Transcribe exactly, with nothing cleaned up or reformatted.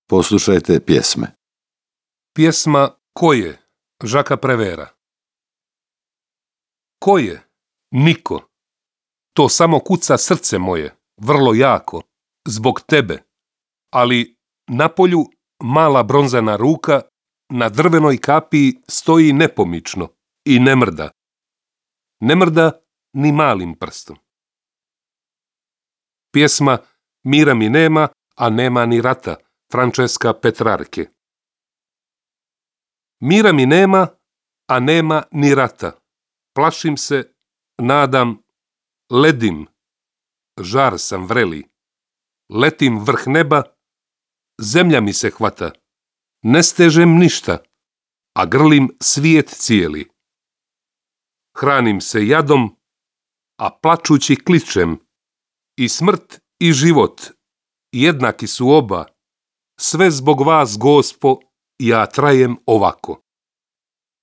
Poslušajte pjesme. Pjesma Ko je? Žaka Prevera. Ko je? Niko. To samo kuca srce moje, vrlo jako, zbog tebe. Ali na polju mala bronzana ruka na drvenoj kapiji stoji nepomično i ne mrda. Ne mrda ni malim prstom. Pjesma Mira mi nema, a nema ni rata, Francesca Petrarke. Mira mi nema, a nema ni rata. Plašim se, nadam, ledim, žar sam vreli. Letim vrh neba, zemlja mi se hvata. Ne stežem ništa, a grlim svijet cijeli. Hranim se jadom, a plačući kličem. I smrt i život, jednaki su oba. Sve zbog vas, Gospo, ja trajem ovako.